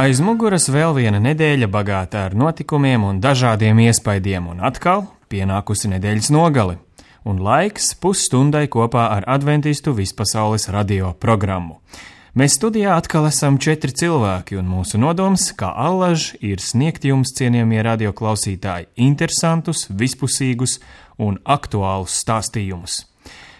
Aiz muguras vēl viena nedēļa bagāta ar notikumiem un dažādiem iespaidiem, un atkal pienākusi nedēļas nogali, un laiks pusstundai kopā ar adventistu vispasaules radio programmu. Mēs studijā atkal esam 4 cilvēki, un mūsu nodoms, kā allaž, ir sniegt jums, cienījamie radioklausītāji, interesantus, vispusīgus un aktuālus stāstījumus.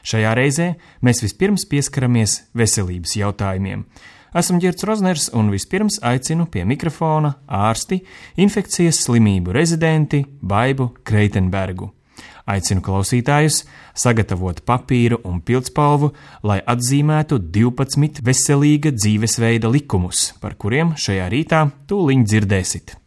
Šajā reizē mēs vispirms pieskaramies veselības jautājumiem. Esmu Ģerts Rozners un vispirms aicinu pie mikrofona ārsti, infekcijas slimību rezidenti Baibu Kreitenbergu. Aicinu klausītājus sagatavot papīru un pildspalvu, lai atzīmētu 12 veselīga dzīvesveida likumus, par kuriem šajā rītā tūliņ dzirdēsit.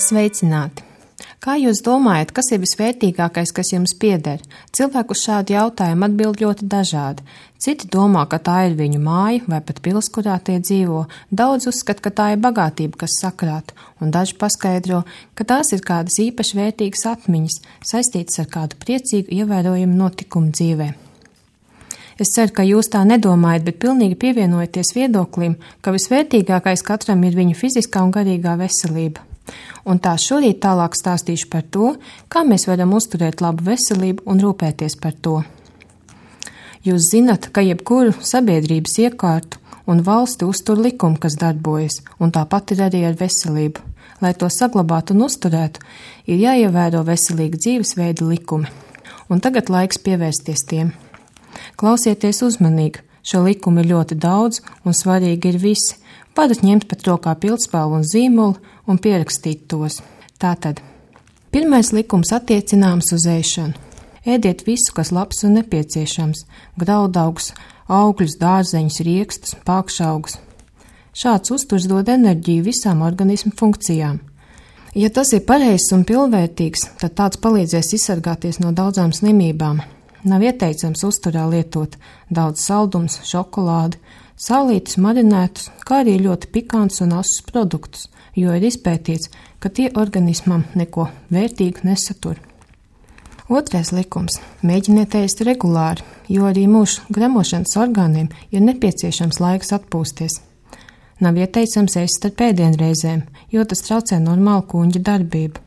Sveicināti! Kā jūs domājat, kas ir visvērtīgākais, kas jums pieder? Cilvēku uz šādu jautājumu atbild ļoti dažādi. Citi domā, ka tā ir viņu māja vai pat pils, kurā tie dzīvo. Daudz uzskata, ka tā ir bagātība, kas sakrāt, un daži paskaidro, ka tās ir kādas īpaši vērtīgas atmiņas, saistītas ar kādu priecīgu ievērojumu notikumu dzīvē. Es ceru, ka jūs tā nedomājat, bet pilnīgi pievienojaties viedoklim, ka visvērtīgākais katram ir viņa fiziskā un garīgā veselība. Un tā šorīt tālāk stāstīšu par to, kā mēs varam uzturēt labu veselību un rūpēties par to. Jūs zinat, ka jebkuru sabiedrības iekārtu un valsti uztur likumu, kas darbojas, un tāpat ir arī ar veselību. Lai to saglabātu un uzturētu, ir jāievēro veselīga dzīvesveida likumi. Un tagad laiks pievērsties tiem. Klausieties uzmanīgi, šo likumu ir ļoti daudz un svarīgi ir visi. Varat ņemt pat rokā pildspalvu un zīmolu un pierakstīt tos. Tātad, pirmais likums attiecināms uz ēšanu. Ēdiet visu, kas labs un nepieciešams – graudaugus, augļus, dārzeņus, riekstus, pākšaugus. Šāds uzturs dod enerģiju visām organismu funkcijām. Ja tas ir pareizs un pilnvērtīgs, tad tāds palīdzēs izsargāties no daudzām slimībām. Nav ieteicams uzturā lietot daudz saldums, šokolādi, sālītus, marinētus, kā arī ļoti pikants un asus produktus, jo ir izpētīts, ka tie organismam neko vērtīgu nesatur. Otrais likums – mēģiniet ēst regulāri, jo arī mūsu gremošanas orgāniem ir nepieciešams laiks atpūsties. Nav ieteicams ēst starp ēdienreizēm, jo tas traucē normālu kuņģa darbību.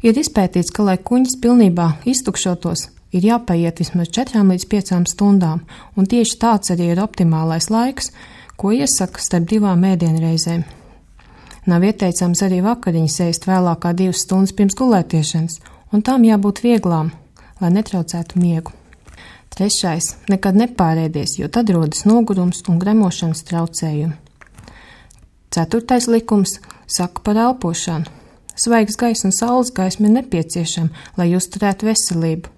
Ir izpētīts, ka, lai kuņģis pilnībā iztukšotos, ir jāpaiet vismaz 4 līdz 5 stundām, un tieši tāds arī ir optimālais laiks, ko iesaka starp 2 ēdienreizēm. Nav ieteicams arī vakariņas ēst vēlāk kā 2 stundas pirms gulētiešanas, un tām jābūt vieglām, lai netraucētu miegu. Trešais – nekad nepārēdies, jo tad rodas nogurums un gremošanas traucējumi. Ceturtais likums saka par elpošanu. Svaigs gaiss un saules gaisma ir nepieciešama, lai uzturētu veselību.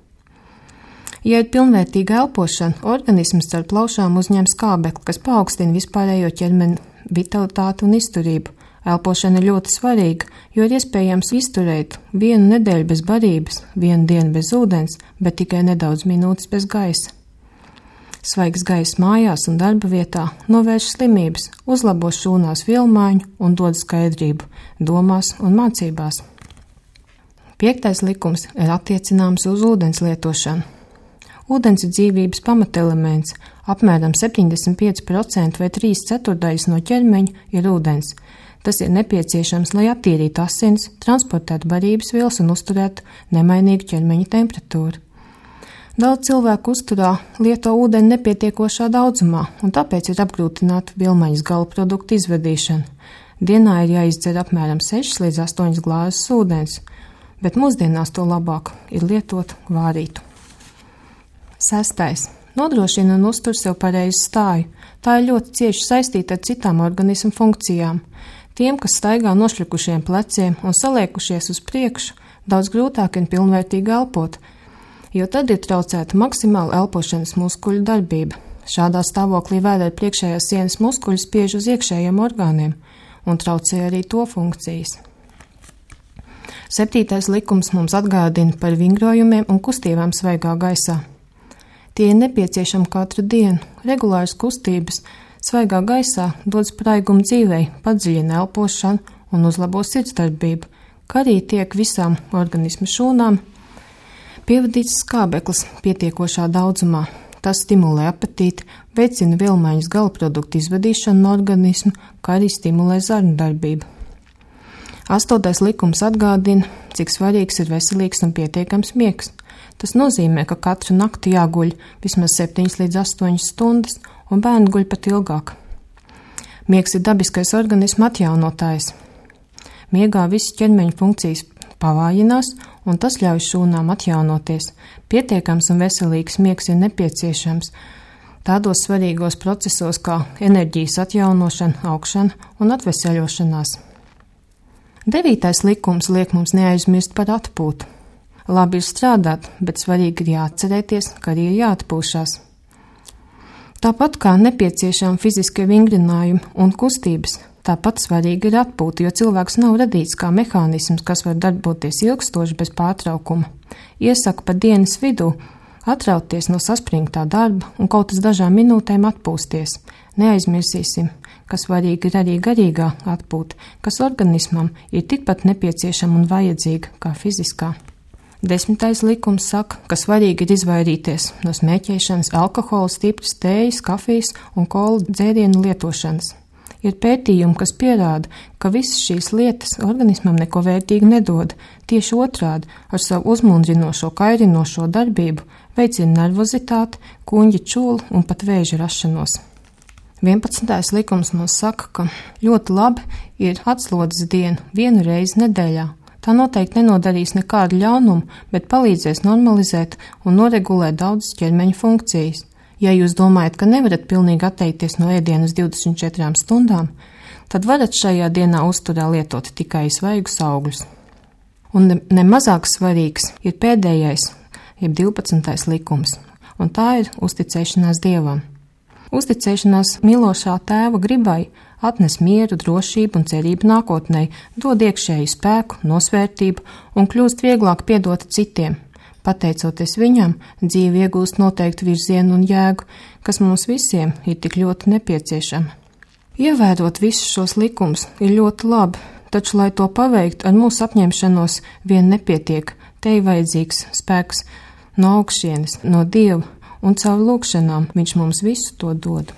Ja ir pilnvērtīga elpošana, organisms caur plaušām uzņem skābekli, kas paaugstina vispārējo ķermeni vitalitāti un izturību. Elpošana ir ļoti svarīga, jo ir iespējams izturēt 1 nedēļu bez barības, 1 dienu bez ūdens, bet tikai nedaudz minūtes bez gaisa. Svaigs gaiss mājās un darba vietā novērš slimības, uzlabo šūnās vielmaiņu un dod skaidrību domās un mācībās. 5. likums ir attiecināms uz ūdens lietošanu. Ūdens ir dzīvības pamatelements, apmēram 75% vai 3/4 no ķermeņa ir ūdens. Tas ir nepieciešams, lai attīrītu asins, transportētu barības vielas un uzturētu nemainīgu ķermeņa temperatūru. Daudz cilvēku uzturā lieto ūdeni nepietiekošā daudzumā, un tāpēc ir apgrūtināta vielmaiņas gala produktu izvedīšana. Dienā ir jāizdzer apmēram 6 līdz 8 glāzes ūdens, bet mūsdienās to labāk ir lietot vārītu. 6. Nodrošina un uztur sev pareizu stāju. Tā ir ļoti cieši saistīta ar citām organismu funkcijām. Tiem, kas staigā nošļukušiem pleciem un saliekušies uz priekšu, daudz grūtāk ir pilnvērtīgi elpot, jo tad ir traucēta maksimāla elpošanas muskuļu darbība. Šādā stāvoklī vēdera priekšējās sienas muskuļi spiež uz iekšējiem orgāniem, un traucē arī to funkcijas. 7. likums mums atgādina par vingrojumiem un kustībām svaigā gaisā. Tie ir nepieciešami katru dienu. Regulāras kustības svaigā gaisā dod spraigumu dzīvei, padziļina elpošanu un uzlabo sirdsdarbību, kā arī tiek visām organisma šūnām pievadīts skābeklis pietiekošā daudzumā. Tas stimulē apetīti, veicina vielmaiņas galaproduktu izvadīšanu no organisma, kā arī stimulē zarnu darbību. 8. likums atgādina, cik svarīgs ir veselīgs un pietiekams miegs. Tas nozīmē, ka katru nakti jāguļ vismaz 7 līdz 8 stundas, un bērni guļ pat ilgāk. Miegs ir dabiskais organisma atjaunotājs. Miegā visas ķermeņa funkcijas pavājinās, un tas ļauj šūnām atjaunoties. Pietiekams un veselīgs miegs ir nepieciešams tādos svarīgos procesos kā enerģijas atjaunošana, augšana un atveseļošanās. 9. likums liek mums neaizmirst par atpūtu. Labi ir strādāt, bet svarīgi ir jāatcerēties, ka arī ir jāatpūšās. Tāpat kā nepieciešami fiziskie vingrinājumi un kustības, tāpat svarīgi ir atpūta, jo cilvēks nav radīts kā mehānisms, kas var darboties ilgstoši bez pārtraukuma. Iesaku pa dienas vidū atrauties no saspringtā darba un kaut uz dažām minūtēm atpūsties. Neaizmirsīsim, ka svarīgi ir arī garīgā atpūta, kas organismam ir tikpat nepieciešama un vajadzīga kā fiziskā. 10. likums saka, ka svarīgi ir izvairīties no smēķēšanas, alkohola, stipras tējas, kafijas un kola dzērienu lietošanas. Ir pētījumi, kas pierāda, ka visas šīs lietas organismam neko vērtīgu nedod. Tieši otrādi, ar savu uzmundrinošo, kairinošo darbību veicina nervozitāti, kuņģa čūlu un pat vēža rašanos. 11. likums mums saka, ka ļoti labi ir atslodzes diena 1 reizi nedēļā. Tā noteikti nenodarīs nekādu ļaunumu, bet palīdzēs normalizēt un noregulēt daudzas ķermeņa funkcijas. Ja jūs domājat, ka nevarat pilnīgi atteikties no ēdienas 24 stundām, tad varat šajā dienā uzturā lietot tikai svaigus augļus. Un nemazāk svarīgs ir pēdējais, jeb 12. likums, un tā ir uzticēšanās Dievam. Uzticēšanās mīlošā tēva gribai atnes mieru, drošību un cerību nākotnē, dod iekšēju spēku, nosvērtību un kļūst vieglāk piedot citiem. Pateicoties viņam, dzīve iegūst noteiktu virzienu un jēgu, kas mums visiem ir tik ļoti nepieciešama. Ievērot visus šos likumus ir ļoti labi, taču, lai to paveiktu ar mūsu apņemšanos, vien nepietiek. Te ir vajadzīgs spēks no augšienes, no Dieva, un caur lūkšanām viņš mums visu to dod.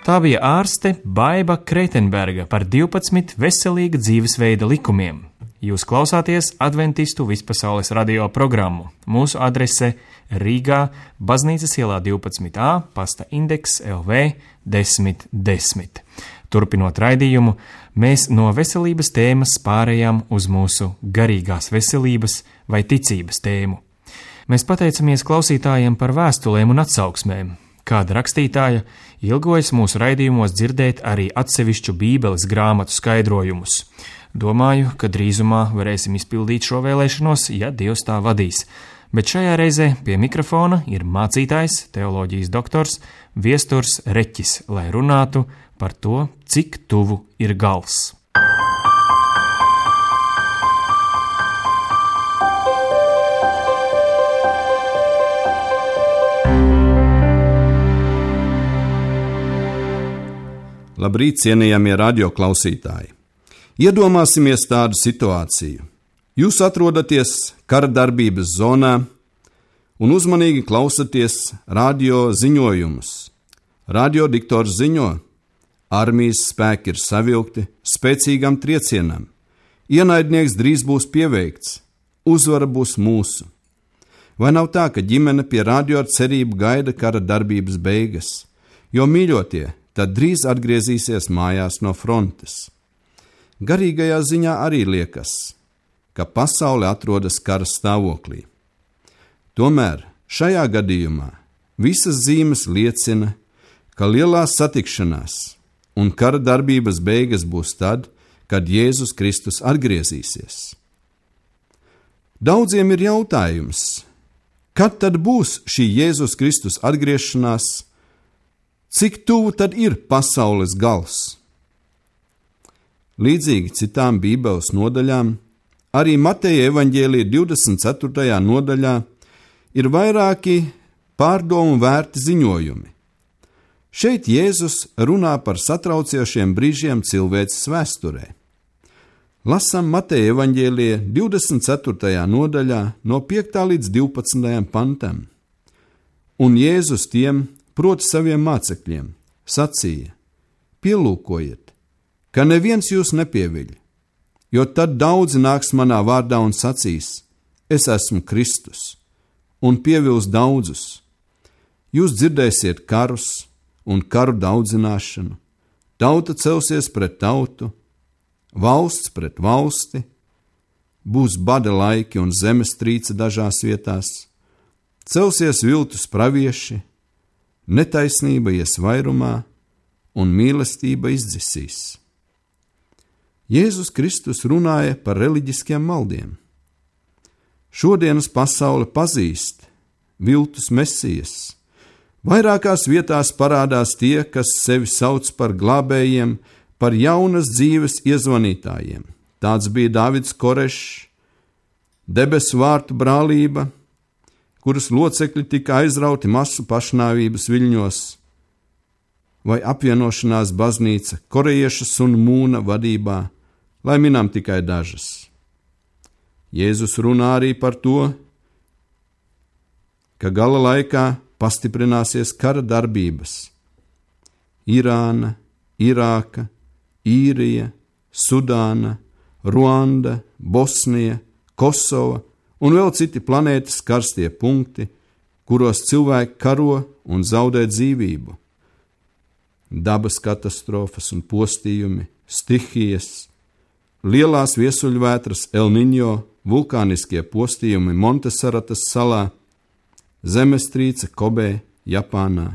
Tā bija ārste Baiba Kreitenberga par 12 veselīga dzīvesveida likumiem. Jūs klausāties Adventistu vispasaules radio programmu. Mūsu adrese Rīgā, Baznīcas ielā 12a, pasta indeks LV 1010. Turpinot raidījumu, mēs no veselības tēmas pārējām uz mūsu garīgās veselības vai ticības tēmu. Mēs pateicamies klausītājiem par vēstulēm un atsauksmēm. Kāda rakstītāja ilgojas mūsu raidījumos dzirdēt arī atsevišķu Bībeles grāmatu skaidrojumus. Domāju, ka drīzumā varēsim izpildīt šo vēlēšanos, ja Dievs tā vadīs. Bet šajā reizē pie mikrofona ir mācītājs, teoloģijas doktors Viesturs Reķis, lai runātu par to, cik tuvu ir gals. Labrīt, cienījamie radioklausītāji! Iedomāsimies tādu situāciju. Jūs atrodaties kara darbības zonā un uzmanīgi klausaties radio ziņojumus. Radiodiktors ziņo, armijas spēki ir savilkti spēcīgam triecienam. Ienaidnieks drīz būs pieveikts, uzvara būs mūsu. Vai nav tā, ka ģimene pie radio ar cerību gaida kara darbības beigas, jo mīļotie tad drīz atgriezīsies mājās no frontes? garīgajā ziņā arī liekas, ka pasaule atrodas kara stāvoklī. Tomēr šajā gadījumā visas zīmes liecina, ka lielās satikšanās un kara darbības beigas būs tad, kad Jēzus Kristus atgriezīsies. Daudziem ir jautājums, kad tad būs šī Jēzus Kristus atgriešanās, cik tuvu tad ir pasaules gals? Līdzīgi citām Bībeles nodaļām, arī Mateja evaņģēlija 24. nodaļā ir vairāki pārdomu vērti ziņojumi. Šeit Jēzus runā par satraucošiem brīžiem cilvēces vēsturē. Lasām Mateja evaņģēlija 24. nodaļā no 5. līdz 12. pantam. Un Jēzus tiem, proti saviem mācekļiem, sacīja: pielūkojiet, ka neviens jūs nepieviļ, jo tad daudzi nāks manā vārdā un sacīs: es esmu Kristus, un pievils daudzus. Jūs dzirdēsiet karus un karu daudzināšanu, tauta celsies pret tautu, valsts pret valsti, būs bada laiki un zemestrīce dažās vietās, celsies viltus pravieši, netaisnība ies vairumā un mīlestība izdzisīs. Jēzus Kristus runāja par reliģiskiem maldiem. Šodienas pasaule pazīst viltus mesijas. Vairākās vietās parādās tie, kas sevi sauc par glābējiem, par jaunas dzīves iezvanītājiem. Tāds bija Dāvids Korešs, debesu vārtu brālība, kuras locekļi tika aizrauti masu pašnāvības viļņos, vai apvienošanās baznīca Korejieša Sun Mūna vadībā, lai minam tikai dažas. Jēzus runā arī par to, ka gala laikā pastiprināsies kara darbības. Irāna, Irāka, Īrija, Sudāna, Ruanda, Bosnija, Kosova un vēl citi planētas karstie punkti, kuros cilvēki karo un zaudē dzīvību. Dabas katastrofas un postījumi, stihijas, lielās viesuļvētras El Niño, vulkāniskie postījumi Montesaratas salā, zemestrīce Kobē, Japānā,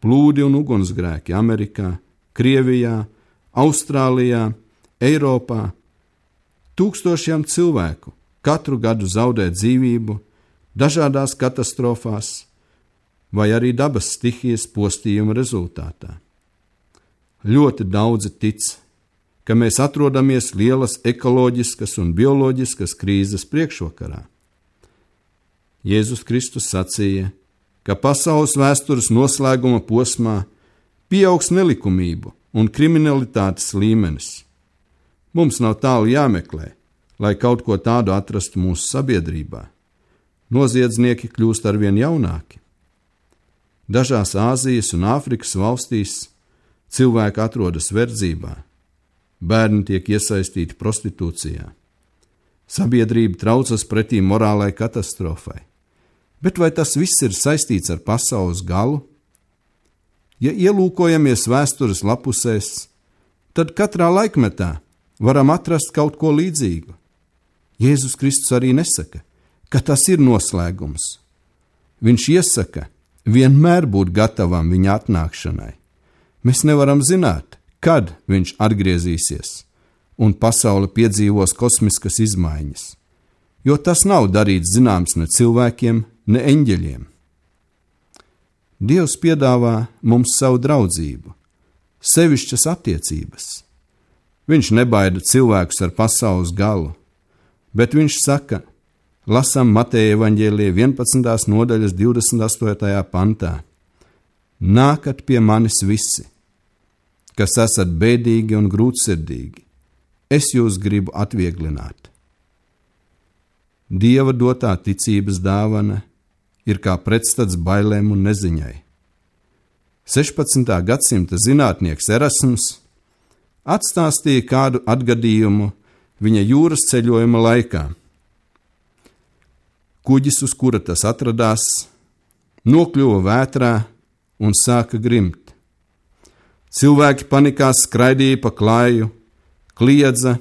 plūdi un ugunsgrēki Amerikā, Krievijā, Austrālijā, Eiropā. Tūkstošiem cilvēku katru gadu zaudē dzīvību dažādās katastrofās vai arī dabas stihijas postījuma rezultātā. Ļoti daudzi tic, ka mēs atrodamies lielas ekoloģiskas un bioloģiskas krīzes priekšvakarā. Jēzus Kristus sacīja, ka pasaules vēstures noslēguma posmā pieaugs nelikumību un kriminalitātes līmenis. Mums nav tālu jāmeklē, lai kaut ko tādu atrastu mūsu sabiedrībā. Noziedznieki kļūst arvien jaunāki. Dažās Āzijas un Āfrikas valstīs cilvēki atrodas verdzībā, bērni tiek iesaistīti prostitūcijā. Sabiedrība traucas pretī morālai katastrofai. Bet vai tas viss ir saistīts ar pasaules galu? Ja ielūkojamies vēstures lapusēs, tad katrā laikmetā varam atrast kaut ko līdzīgu. Jēzus Kristus arī nesaka, ka tas ir noslēgums. Viņš iesaka vienmēr būt gatavam viņa atnākšanai. Mēs nevaram zināt, kad viņš atgriezīsies un pasaule piedzīvos kosmiskas izmaiņas, jo tas nav darīts zināms ne cilvēkiem, ne eņģeļiem. Dievs piedāvā mums savu draudzību, sevišķas attiecības. Viņš nebaida cilvēkus ar pasaules galu, bet viņš saka, lasām Mateja evaņģēlija 11. nodaļas 28. pantā: nākat pie manis visi, kas esat bēdīgi un grūtsirdīgi, es jūs gribu atvieglināt. Dieva dotā ticības dāvana ir kā pretstats bailēm un neziņai. 16. gadsimta zinātnieks Erasms atstāstīja kādu atgadījumu viņa jūras ceļojuma laikā. Kuģis, uz kura tas atradās, nokļuva vētrā un sāka grimt. Cilvēki panikā skraidīja pa klāju, kliedza,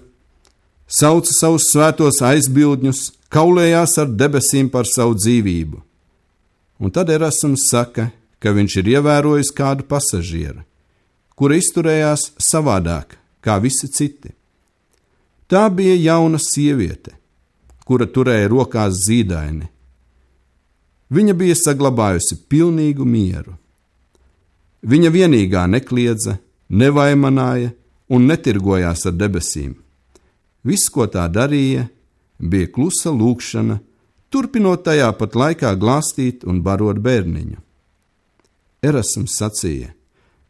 sauca savus svētos aizbildņus, kaulējās ar debesīm par savu dzīvību. Un tad Erasms saka, ka viņš ir ievērojis kādu pasažieru, kura izturējās savādāk kā visi citi. Tā bija jauna sieviete, kura turēja rokās zīdaini. Viņa bija saglabājusi pilnīgu mieru. Viņa vienīgā nekliedza, nevaimanāja un netirgojās ar debesīm. Viss, ko tā darīja, bija klusa lūgšana, turpinot tajā pat laikā glāstīt un barot bērniņu. Erasms sacīja,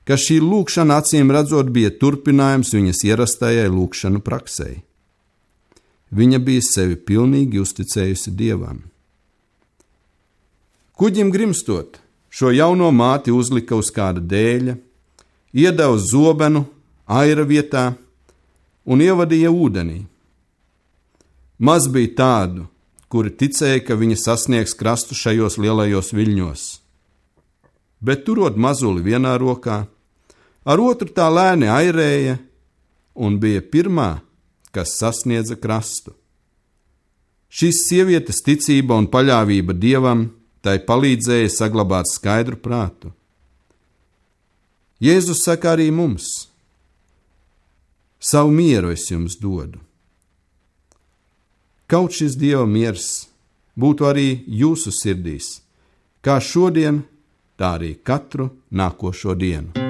ka šī lūgšana acīm redzot bija turpinājums viņas ierastajai lūgšanu praksei. Viņa bija sevi pilnīgi uzticējusi Dievam. Kuģim grimstot, šo jauno māti uzlika uz kāda dēļa, iedeva zobenu aira vietā un ievadīja ūdenī. Maz bija tādu, kuri ticēja, ka viņa sasniegs krastu šajos lielajos viļņos. Bet turot mazuli vienā rokā, ar otru tā lēni airēja un bija pirmā, kas sasniedza krastu. Šīs sievietes ticība un paļāvība Dievam tai palīdzēja saglabāt skaidru prātu. Jēzus saka arī mums: savu mieru es jums dodu. Kaut šis Dieva miers būtu arī jūsu sirdīs, kā šodien, tā arī katru nākošo dienu.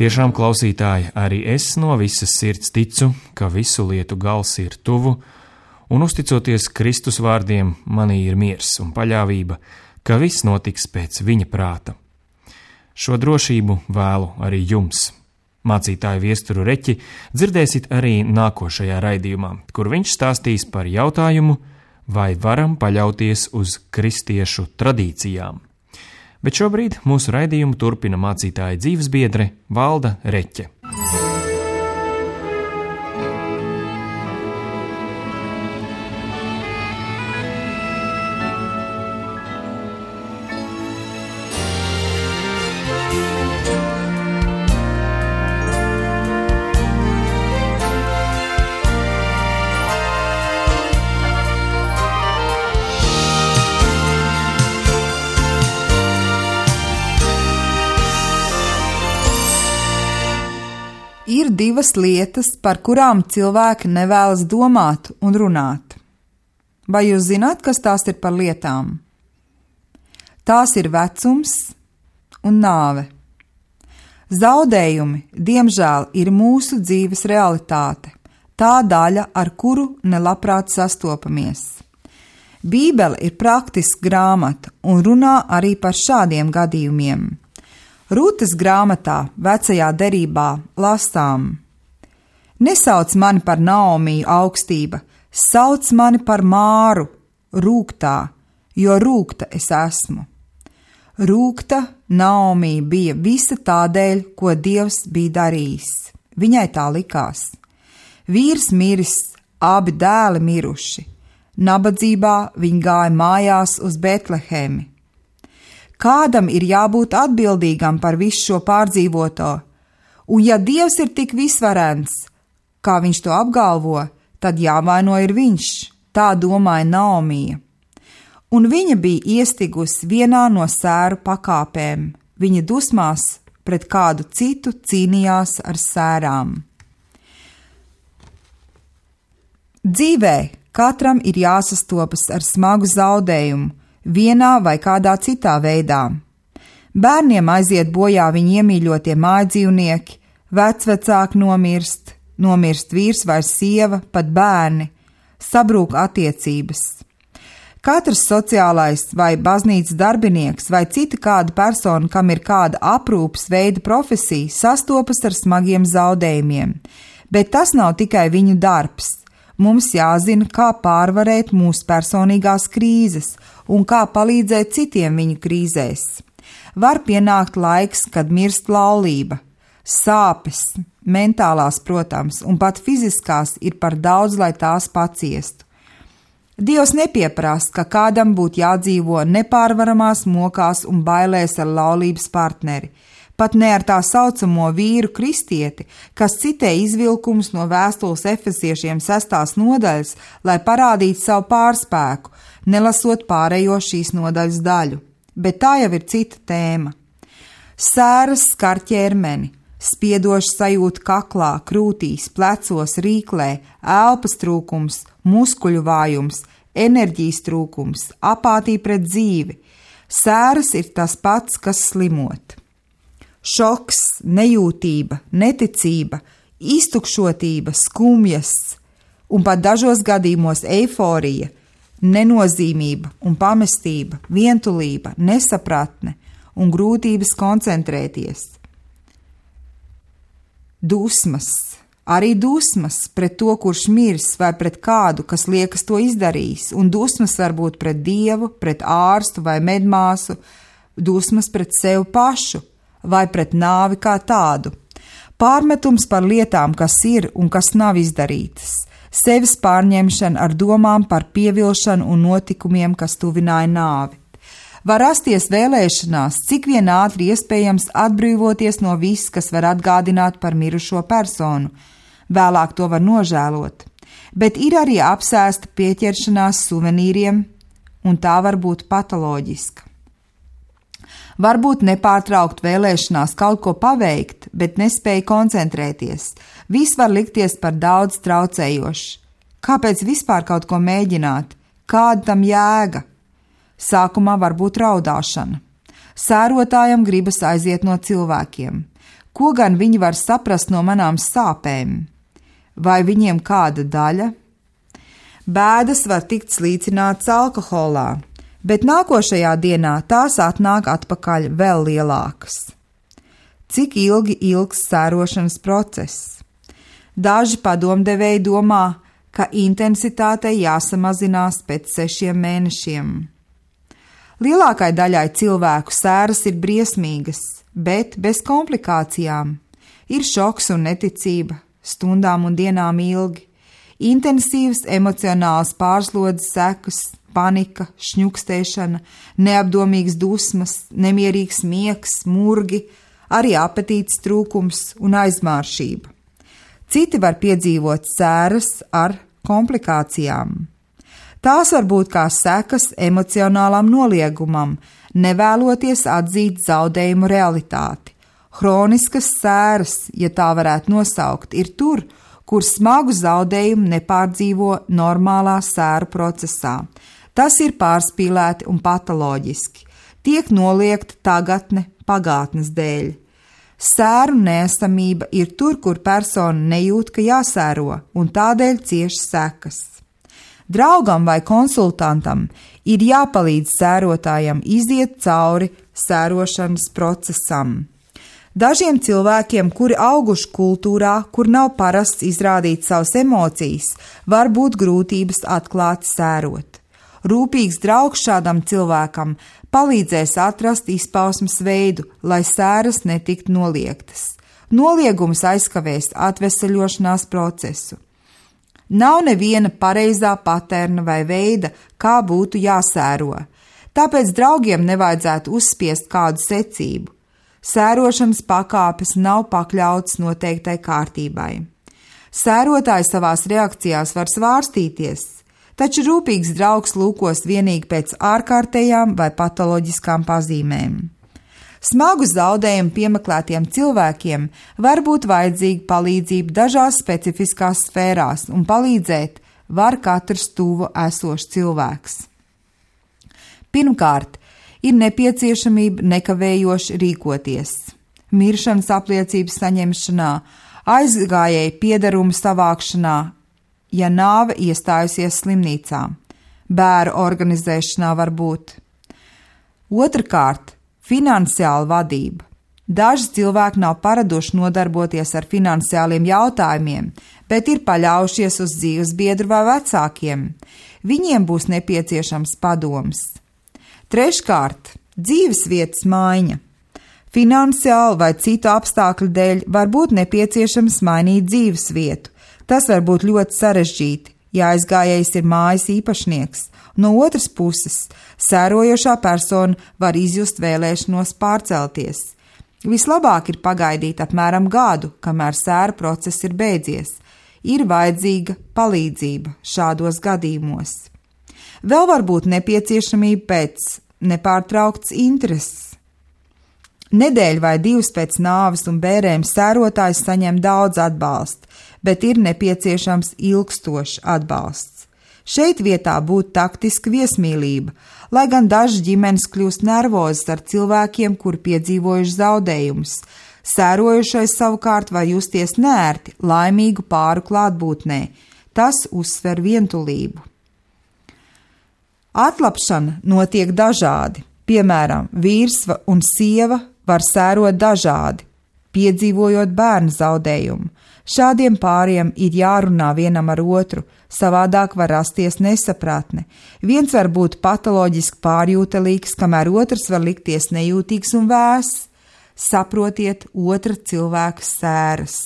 Tiešām, klausītāji, arī es no visas sirds ticu, ka visu lietu gals ir tuvu, un uzticoties Kristus vārdiem, manī ir miers un paļāvība, ka viss notiks pēc viņa prāta. Šo drošību vēlu arī jums. Mācītāju Viesturu Reķi dzirdēsit arī nākošajā raidījumā, kur viņš stāstīs par jautājumu, vai varam paļauties uz kristiešu tradīcijām. Bet šobrīd mūsu raidījumu turpina mācītāja dzīvesbiedre Valda Reķe. Ir divas lietas, par kurām cilvēki nevēlas domāt un runāt. Vai jūs zināt, kas tās ir par lietām? Tās ir vecums un nāve. Zaudējumi, diemžēl, ir mūsu dzīves realitāte, tā daļa, ar kuru nelabprāt sastopamies. Bībele ir praktiska grāmata un runā arī par šādiem gadījumiem. Rūtas grāmatā, vecajā derībā, lasām: nesauc mani par Naomiju augstība, sauc mani par Māru, rūgtā, jo rūgta es esmu. Rūgta Naomija bija visa tādēļ, ko Dievs bija darījis. Viņai tā likās. Vīrs miris, abi dēli miruši. Nabadzībā viņi gāja mājās uz Betlehemi. Kādam ir jābūt atbildīgam par visu šo pārdzīvoto, un ja Dievs ir tik visvarens, kā viņš to apgalvo, tad jāvaino ir viņš, tā domāja Naomija. Un viņa bija iestigusi vienā no sēru pakāpēm, viņa dusmās pret kādu citu cīnījās ar sērām. Dzīvē katram ir jāsastopas ar smagu zaudējumu, vienā vai kādā citā veidā. Bērniem aiziet bojā viņu iemīļotie mājdzīvnieki, vecvecāki nomirst vīrs vai sieva, pat bērni, sabrūk attiecības. Katrs sociālais vai baznīcas darbinieks vai cita kāda persona, kam ir kāda aprūpes veida profesija, sastopas ar smagiem zaudējumiem, bet tas nav tikai viņu darbs, Mums jāzina, kā pārvarēt mūsu personīgās krīzes un kā palīdzēt citiem viņu krīzēs. Var pienākt laiks, kad mirst laulība. Sāpes, mentālās, protams, un pat fiziskās ir par daudz, lai tās paciestu. Dievs nepieprasa, ka kādam būtu jādzīvo nepārvaramās mokās un bailēs ar laulības partneri, pat ne ar tā saucamo vīru kristieti, kas citē izvilkumus no vēstules Efesiešiem 6. nodaļas, lai parādītu savu pārspēku, nelasot pārējo šīs nodaļas daļu. Bet tā jau ir cita tēma. Sēras skar ķermeni, spiedoša sajūta kaklā, krūtīs, plecos, rīklē, elpas trūkums, muskuļu vājums, enerģijas trūkums, apātija pret dzīvi. Sēras ir tas pats, kas slimot. Šoks, nejūtība, neticība, iztukšotība, skumjas un pat dažos gadījumos eiforija, nenozīmība un pamestība, vientulība, nesapratne un grūtības koncentrēties. Dusmas, arī dusmas pret to, kurš mirs, vai pret kādu, kas liekas to izdarījis, un dusmas var būt pret Dievu, pret ārstu vai medmāsu, dusmas pret sevi pašu vai pret nāvi kā tādu. Pārmetums par lietām, kas ir un kas nav izdarītas, sevis pārņemšana ar domām par pievilšanu un notikumiem, kas tuvināja nāvi. Var rasties vēlēšanās, cik vien ātri iespējams atbrīvoties no viss, kas var atgādināt par mirušo personu. Vēlāk to var nožēlot, bet ir arī apsēsta pieķeršanās suvenīriem, un tā var būt patoloģiska. Varbūt nepārtraukt vēlēšanās kaut ko paveikt, bet nespēja koncentrēties. Viss var likties par daudz traucējoši. Kāpēc vispār kaut ko mēģināt? Kāda tam jēga? Sākumā var būt raudāšana. Sērotājam gribas aiziet no cilvēkiem. Ko gan viņi var saprast no manām sāpēm? Vai viņiem kāda daļa? Bēdas var tikt slīcinātas alkoholā, bet nākošajā dienā tās atnāk atpakaļ vēl lielākas. Cik ilgi ilgs sērošanas process? Daži padomdevēji domā, ka intensitātei jāsamazinās pēc 6 mēnešiem. Lielākai daļai cilvēku sēras ir briesmīgas, bet bez komplikācijām. Ir šoks un neticība, stundām un dienām ilgi, intensīvas emocionālas pārslodzes sekas, panika, šņukstēšana, neapdomīgas dusmas, nemierīgs miegs, murgi, arī apetītes trūkums un aizmāršība. Citi var piedzīvot sēras ar komplikācijām. Tās var būt kā sekas emocionālam noliegumam, nevēloties atzīt zaudējumu realitāti. Hroniskas sēras, ja tā varētu nosaukt, ir tur, kur smagu zaudējumu nepārdzīvo normālā sēru procesā. Tas ir pārspīlēti un patoloģiski. Tiek noliegta tagadne pagātnes dēļ. Sēru neesamība ir tur, kur persona nejūt, ka jāsēro, un tādēļ cieš sekas. Draugam vai konsultantam ir jāpalīdz sērotājam iziet cauri sērošanas procesam. Dažiem cilvēkiem, kuri auguši kultūrā, kur nav parasts izrādīt savas emocijas, var būt grūtības atklāti sērot. Rūpīgs draugs šādam cilvēkam palīdzēs atrast izpausmes veidu, lai sēras netiktu noliegtas. Noliegums aizkavēs atveseļošanās procesu. Nav neviena pareizā paterna vai veida, kā būtu jāsēro, tāpēc draugiem nevajadzētu uzspiest kādu secību. Sērošanas pakāpes nav pakļautas noteiktai kārtībai. Sērotāji savās reakcijās var svārstīties, taču rūpīgs draugs lūkos vienīgi pēc ārkārtējām vai patoloģiskām pazīmēm. Smagu zaudējumu piemeklētiem cilvēkiem var būt vajadzīga palīdzība dažās specifiskās sfērās, un palīdzēt var katrs tuvu esošs cilvēks. Pirmkārt, ir nepieciešamība nekavējoši rīkoties. Miršanas apliecības saņemšanā, aizgājēju piederumu savākšanā, ja nāve iestājusies slimnīcā, bēru organizēšanā var būt. Otrkārt, finansiāla vadība. Daži cilvēki nav paraduši nodarboties ar finansiāliem jautājumiem, bet ir paļaujušies uz dzīves biedru vai vecākiem. Viņiem būs nepieciešams padoms. Treškārt, dzīves vietas maiņa. Finansiāli vai citu apstākļu dēļ var būt nepieciešams mainīt dzīves vietu. Tas var būt ļoti sarežģīti, ja aizgājējs ir mājas īpašnieks. No otras puses, sērojošā persona var izjust vēlēšanos pārcelties. Vislabāk ir pagaidīt apmēram gadu, kamēr sēra process ir beidzies. Ir vajadzīga palīdzība šādos gadījumos. Vēl var būt nepieciešamība pēc nepārtrauktas intereses. Nedēļu vai divas pēc nāves un bērēm sērotājs saņem daudz atbalsta, bet ir nepieciešams ilgstošs atbalsts. Šeit vietā būtu taktiska viesmīlība, lai gan dažas ģimenes kļūst nervozas ar cilvēkiem, kuri piedzīvojuši zaudējumus. Sērojušais savukārt var justies neērti laimīgu pāru klātbūtnē. Tas uzsver vientulību. Atlapšana notiek dažādi. Piemēram, vīrs un sieva var sērot dažādi, piedzīvojot bērnu zaudējumu. Šādiem pāriem ir jārunā vienam ar otru, savādāk var rasties nesapratne. Viens var būt patoloģiski pārjūtelīgs, kamēr otrs var likties nejūtīgs un vēss. Saprotiet otra cilvēka sēras.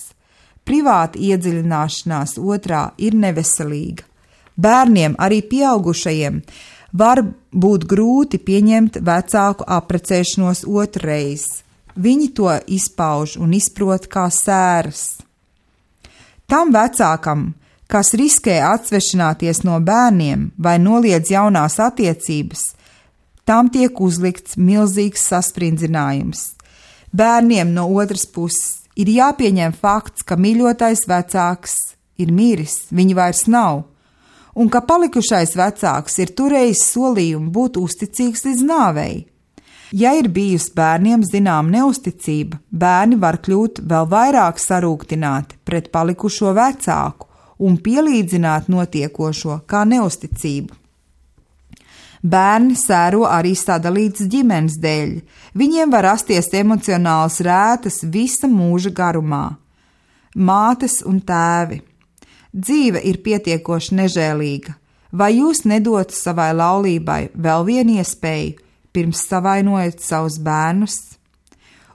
Privāta iedziļināšanās otrā ir neveselīga. Bērniem, arī pieaugušajiem, var būt grūti pieņemt vecāku apprecēšanos otrreiz. Viņi to izpauž un izprot kā sēras. Tam vecākam, kas riskē atsvešināties no bērniem vai noliedz jaunās attiecības, tam tiek uzlikts milzīgs saspringzinājums. Bērniem no otras puses ir jāpieņem fakts, ka mīļotais vecāks ir miris, viņa vairs nav, un ka palikušais vecāks ir turējis solījumu būt uzticīgs līdz nāvei. Ja ir bijusi bērniem zinām neusticība, bērni var kļūt vēl vairāk sarūktināti pret palikušo vecāku un pielīdzināt notiekošo kā neusticību. Bērni sēro arī sadalītas ģimenes dēļ. Viņiem var rasties emocionāls rētas visa mūža garumā. Mātes un tēvi. Dzīve ir pietiekoši nežēlīga. Vai jūs nedotu savai laulībai vēl vienu iespēju, pirms savainojat savus bērnus?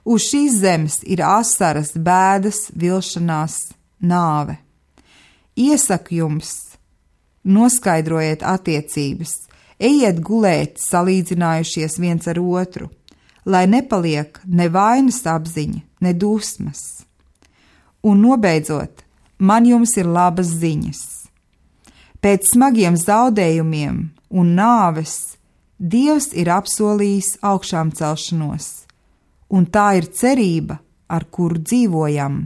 Uz šīs zemes ir asaras, bēdas, vilšanās, nāve. Iesaku jums, noskaidrojiet attiecības, ejiet gulēt salīdzinājušies viens ar otru, lai nepaliek ne vainas apziņa, ne dusmas. Un nobeidzot, man jums ir labas ziņas. Pēc smagiem zaudējumiem un nāves Dievs ir apsolījis augšām celšanos, un tā ir cerība, ar kuru dzīvojam.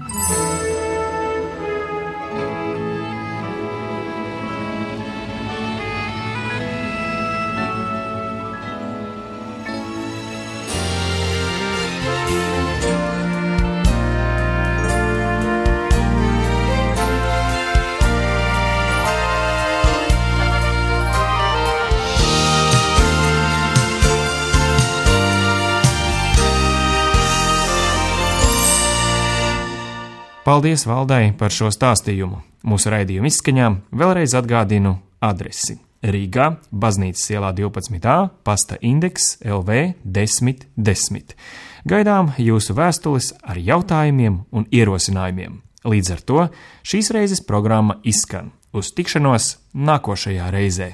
Paldies Valdai par šo stāstījumu. Mūsu raidījuma izskaņām vēlreiz atgādinu adresi: Rīgā, Baznīcas ielā 12a, pasta indeks LV 1010. Gaidām jūsu vēstules ar jautājumiem un ierosinājumiem. Līdz ar to šīs reizes programma izskan. Uz tikšanos nākošajā reizē!